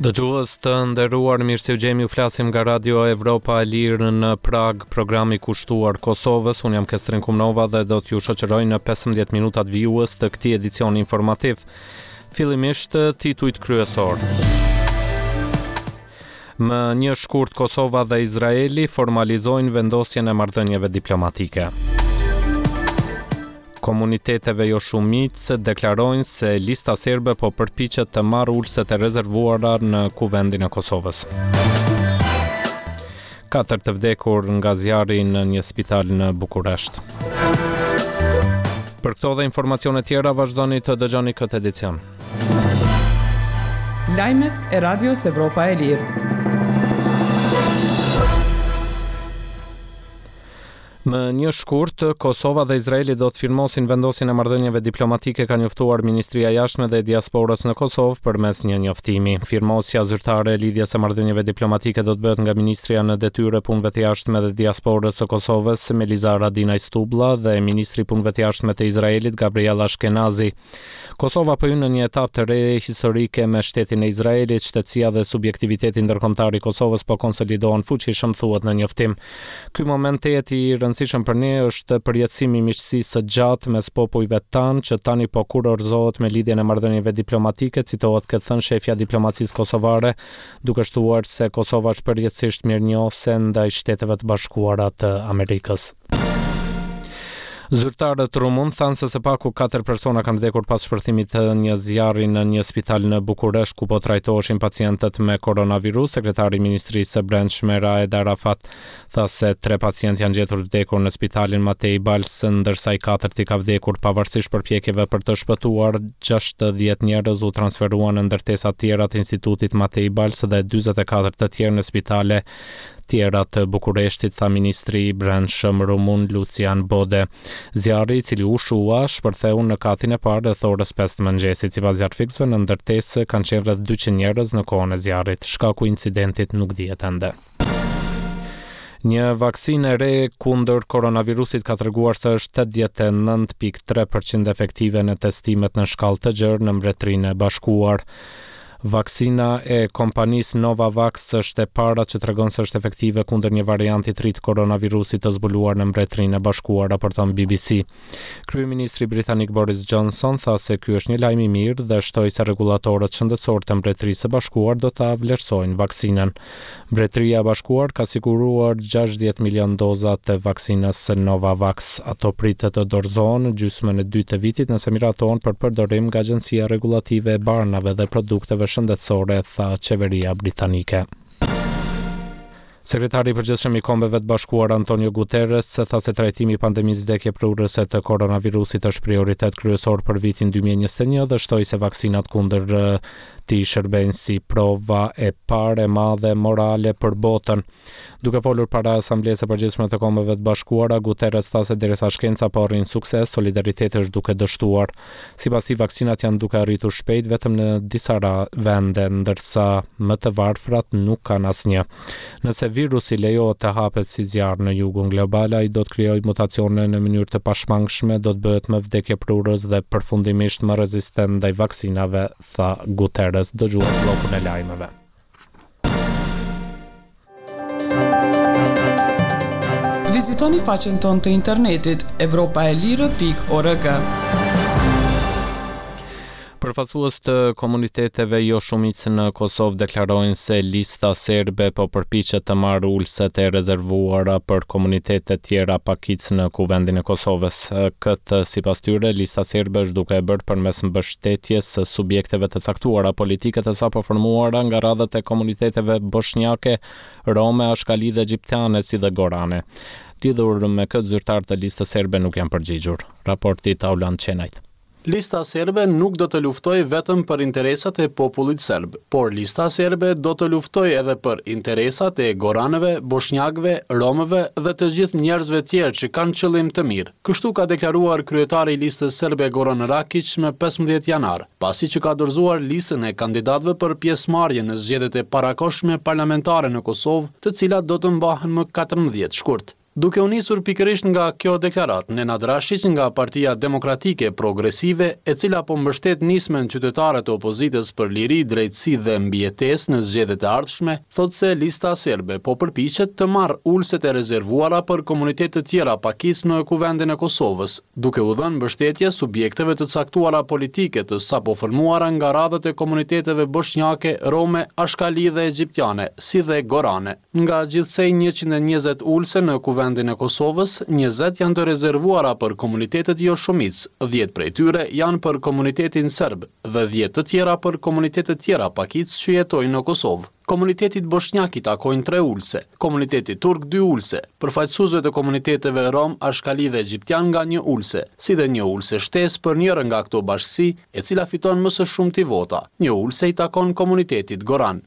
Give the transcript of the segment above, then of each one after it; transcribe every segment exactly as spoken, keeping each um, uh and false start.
Dëgjues të nderuar, mirë se ju gjejmë, ju flasim nga Radio Evropa e Lirë në Prag, programi kushtuar Kosovës. Unë jam Kestrin Kumnova dhe do t'ju shoqëroj në pesëmbëdhjetë minutat vijues të këtij edicioni informativ. Fillimisht titujt kryesor. Më një shkurt Kosova dhe Izraeli formalizojnë vendosjen e marrëdhënieve diplomatike. Komuniteteve jo shumicë deklarojnë se Lista Serbe po përpiqet të marrë ulëset e rezervuara në Kuvendin e Kosovës. Katër të vdekur nga zjarri në një spital në Bukuresht. Për këto dhe informacione tjera vazhdoni të dëgjoni këtë edicion. Lajmet e Radios Evropa e Lirë. Më një shkurt, Kosova dhe Izraeli do të firmosin vendosjen e marrëdhënieve diplomatike, ka njoftuar Ministria e Jashtme dhe Diasporës në Kosovë përmes një njoftimi. Firmosja zyrtare e lidhjes së marrëdhënieve diplomatike do të bëhet nga Ministria në detyrë e Punëve të Jashtme dhe Diasporës së Kosovës, Meliza Haradinaj Stublla, dhe Ministri i Punëve të Jashtme të Izraelit, Gabriel Ashkenazi. Kosova po hyn në një etapë të re historike me shtetin e Izraelit, shtetësia dhe subjektiviteti ndërkombëtar i Kosovës po konsolidohen fuqishëm, thuhet në njoftim. Ky moment tejet i rëndësishëm për ne është përjetësimi i miqësisë së gjatë mes popujve tanë që tani po kurorëzohet me lidhjen e marrëdhënieve diplomatike, citohet këtë thënë shefja diplomacisë kosovare, duke shtuar se Kosova është përjetësisht mirënjohëse ndaj Shteteve të Bashkuara të Amerikës. Zyrtarët rumun thanë se së paku katër persona kanë vdekur pas shpërthimit të një zjarri në një spital në Bukuresht ku po trajtoheshin pacientët me koronavirus. Sekretari i Ministrisë së Brendshme Raed Arafat tha se tre pacientë janë gjetur vdekur në spitalin Matei Bals, ndërsa i katërti ka vdekur pavarësisht përpjekjeve për të shpëtuar. Gjashtëdhjetë njerëz u transferuan në ndërtesa tjera të Institutit Matei Bals dhe dyzet e katër të tjerë në spitale tjera të Bukureshtit, tha ministri i Brendshëm rumun Lucian Bode. Zjarri, i cili u shua, shpërtheu në katin e parë rreth orës pesë të mëngjesit. Sipas zjarrfikësve, në ndërtesë kanë qenë rreth dyqind njerëz në kohën e zjarrit. Shkaku i incidentit nuk dihet ende. Një vaksinë e re kundër koronavirusit ka treguar se është tetëdhjetë e nëntë pikë tre përqind efektive në testimet në shkallë të gjerë në Mbretërinë e Bashkuar. Vaksina e kompanisë Novavax është e para që tregon se është efektive kundër një varianti të ri të koronavirusit të zbuluar në Mbretërinë e Bashkuar, raporton B B C. Kryeministri britanik Boris Johnson tha se ky është një lajm i mirë dhe shtoi se rregullatorët shëndetësor të Mbretërisë së Bashkuar do ta vlerësojnë vaksinën. Mbretëria e Bashkuar ka siguruar gjashtëdhjetë milion doza të vaksinës Novavax. Ato pritet të dorëzohen në gjysmën e dytë të vitit nëse miratohen për përdorim nga Agjencia Rregullative e Barnave dhe Produkteve Shëndetësore, tha qeveria britanike. Sekretari i Përgjithshëm i Kombeve të Bashkuara Antonio Guterres tha se trajtimi i pandemisë vdekjeprurëse të koronavirusit është prioritet kryesor për vitin dy mijë e njëzet e një dhe shtoi se vaksinat kundër tij shërbejnë si prova e parë e madhe morale për botën. Duke folur para Asamblesë së Përgjithshme të Kombeve të Bashkuara, Guterres tha se derisa shkenca po arrin sukses, solidariteti është duke dështuar. Sipas tij, vaksinat janë duke arritur shpejt vetëm në disa ra-, vende, ndërsa më të varfrat nuk kanë asnjë. Nëse virusi lejohet të hapet si zjarr në jugun global, ai do të krijojë mutacione në mënyrë të pashmangshme, do të bëhet më vdekjeprurës dhe përfundimisht më rezistent ndaj vaksinave, tha Guterres. Dëgjuar bllokun e lajmeve. Vizitoni faqen tonë të internetit evropa e lirë pikë org. Përfaqësues të komuniteteve jo shumicë në Kosovë deklarojnë se Lista Serbe po përpiqet të marrë ulëset e rezervuara për komunitetet tjera pakicë në Kuvendin e Kosovës. Këtë, sipas tyre, Lista Serbe është duke e bërë përmes mbështetjes së subjekteve të caktuara politike të sapo formuara nga radhët e komuniteteve boshnjake, rome, ashkali dhe egjiptiane, si dhe gorane. Lidhur me këtë, zyrtar të Listës Serbe nuk janë përgjigjur. Raporti Taulant Qenajt. Lista Serbe nuk do të luftojë vetëm për interesat e popullit serb, por Lista Serbe do të luftojë edhe për interesat e goranëve, boshnjakëve, romëve dhe të gjithë njerëzve tjerë që kanë qëllim të mirë. Kështu ka deklaruar kryetari i Listës Serbe Goran Rakiq më pesëmbëdhjetë janar, pasi që ka dorëzuar listën e kandidatëve për pjesëmarrje në zgjedhjet e parakohshme parlamentare në Kosovë, të cilat do të mbahen më katërmbëdhjetë shkurt. Duke u nisur pikërisht nga kjo deklaratë, Nenad Rashiq nga Partia Demokratike Progresive, e cila po mbështet nismën qytetare të opozitës për liri, drejtësi dhe mbijetesë në zgjedhjet e ardhshme, thotë se Lista Serbe po përpiqet të marrë ulëset e rezervuara për komunitete të tjera pakicë në Kuvendin e Kosovës, duke u dhënë mbështetje subjekteve të caktuara politike të sapo formuara nga radhët e komuniteteve boshnjake, rome, ashkali dhe egjiptiane, si dhe gorane. Nga gjithsej njëqind e njëzet ulëse në Kuvendin e Kosovës, njëzet janë të rezervuara për komunitetet jo shumicë, dhjetë prej tyre janë për komunitetin serb dhe dhjetë të tjera për komunitetet tjera pakicë që jetojnë në Kosovë. Komunitetit boshnjak i takojnë tre ulëse, komunitetit turk dy ulëse, përfaqësuesve të komuniteteve rom, ashkali dhe egjiptian nga një ulëse, si dhe një ulëse shtesë për njërën nga këto bashkësi, e cila fiton më së shumti vota. Një ulëse i takon komunitetit goran.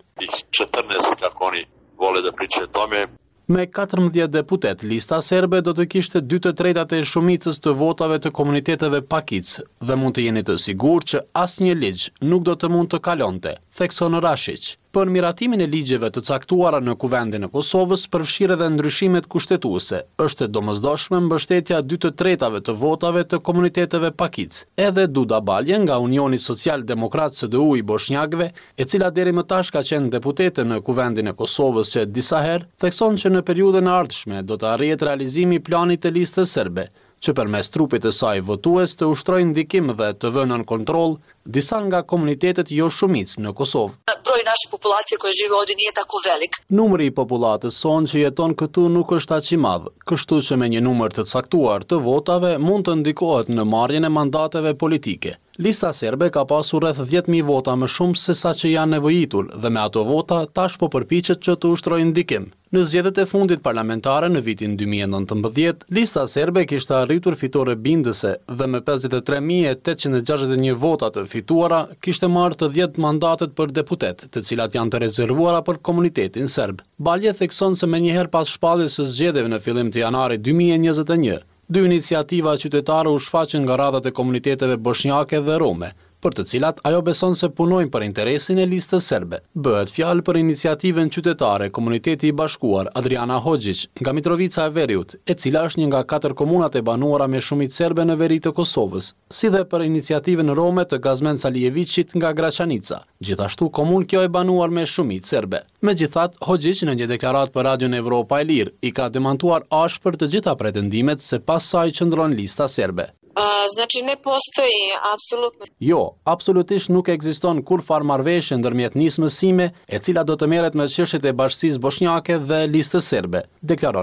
Vole da pričaju o tome. Me katërmbëdhjetë deputet, Lista Serbe do të kishte dy të tretat e shumicës të votave të komuniteteve pakicë dhe mund të jeni të sigurt që asnjë ligj nuk do të mund të kalonte, thekson Rashiq. Për miratimin e ligjeve të caktuara në Kuvendin e Kosovës, përfshirë edhe ndryshimet kushtetuese, është e domosdoshme mbështetja dy të tretave të votave të komuniteteve pakicë. Edhe Duda Balje nga Unioni Social Demokrat S D U i Boshnjakëve, e cila deri më tash ka qenë deputete në Kuvendin e Kosovës që disa herë, thekson që në periudhën e ardhshme do të arrihet realizimi i planit të listës serbe, që përmes trupit të saj votues të ushtrojnë ndikim dhe të vënë nën kontroll disa nga komunitetet jo shumicë në Kosovë. Broj naše populacije koja živi ovdje nije tako velik. Numri i popullatës sonë që jeton këtu nuk është aq i madh, kështu që me një numër të caktuar të votave mund të ndikohet në marrjen e mandateve politike. Lista serbe ka pasur rreth dhjetë mijë vota më shumë se sa që janë nevojitur dhe me ato vota tash po përpiqet që të ushtrojnë ndikim. Në zgjedhjet e fundit parlamentare në vitin dy mijë e nëntëmbëdhjetë, Lista serbe kishte arritur fitore bindëse dhe me pesëdhjetë e tre mijë e tetëqind e gjashtëdhjetë e një vota të fituara kishte marrë të dhjetë mandatet për deputet, të cilat janë të rezervuara për komunitetin serb. Balje thekson se menjëherë pas shpalljes së zgjedhjeve në fillim të janarit dy mijë e njëzet e një, dy iniciativa qytetare u shfaqën nga radhët e komuniteteve boshnjake dhe rome, për të cilat ajo beson se punojnë për interesin e listës serbe. Bëhet fjalë për iniciativën qytetare Komuniteti i Bashkuar Adriana Hoxhiq nga Mitrovica e Veriut, e cila është një nga katër komunat e banuara me shumicë serbe në veri të Kosovës, si dhe për iniciativën rome të Gazmen Salijeviqit nga Graçanica, gjithashtu komunë kjo e banuar me shumicë serbe. Megjithatë, Hoxhiq në një deklaratë për Radion Evropa e Lirë i ka demantuar ashpër të gjitha pretendimet se pas saj qëndron lista serbe. Znači ne postoji apsolutno. Jo, absolutisht nuk ekziston kurrfar marrëveshje ndërmjet nismës sime, e cila do të merret me çështjet e bashkësisë boshnjake dhe listës serbe, deklaron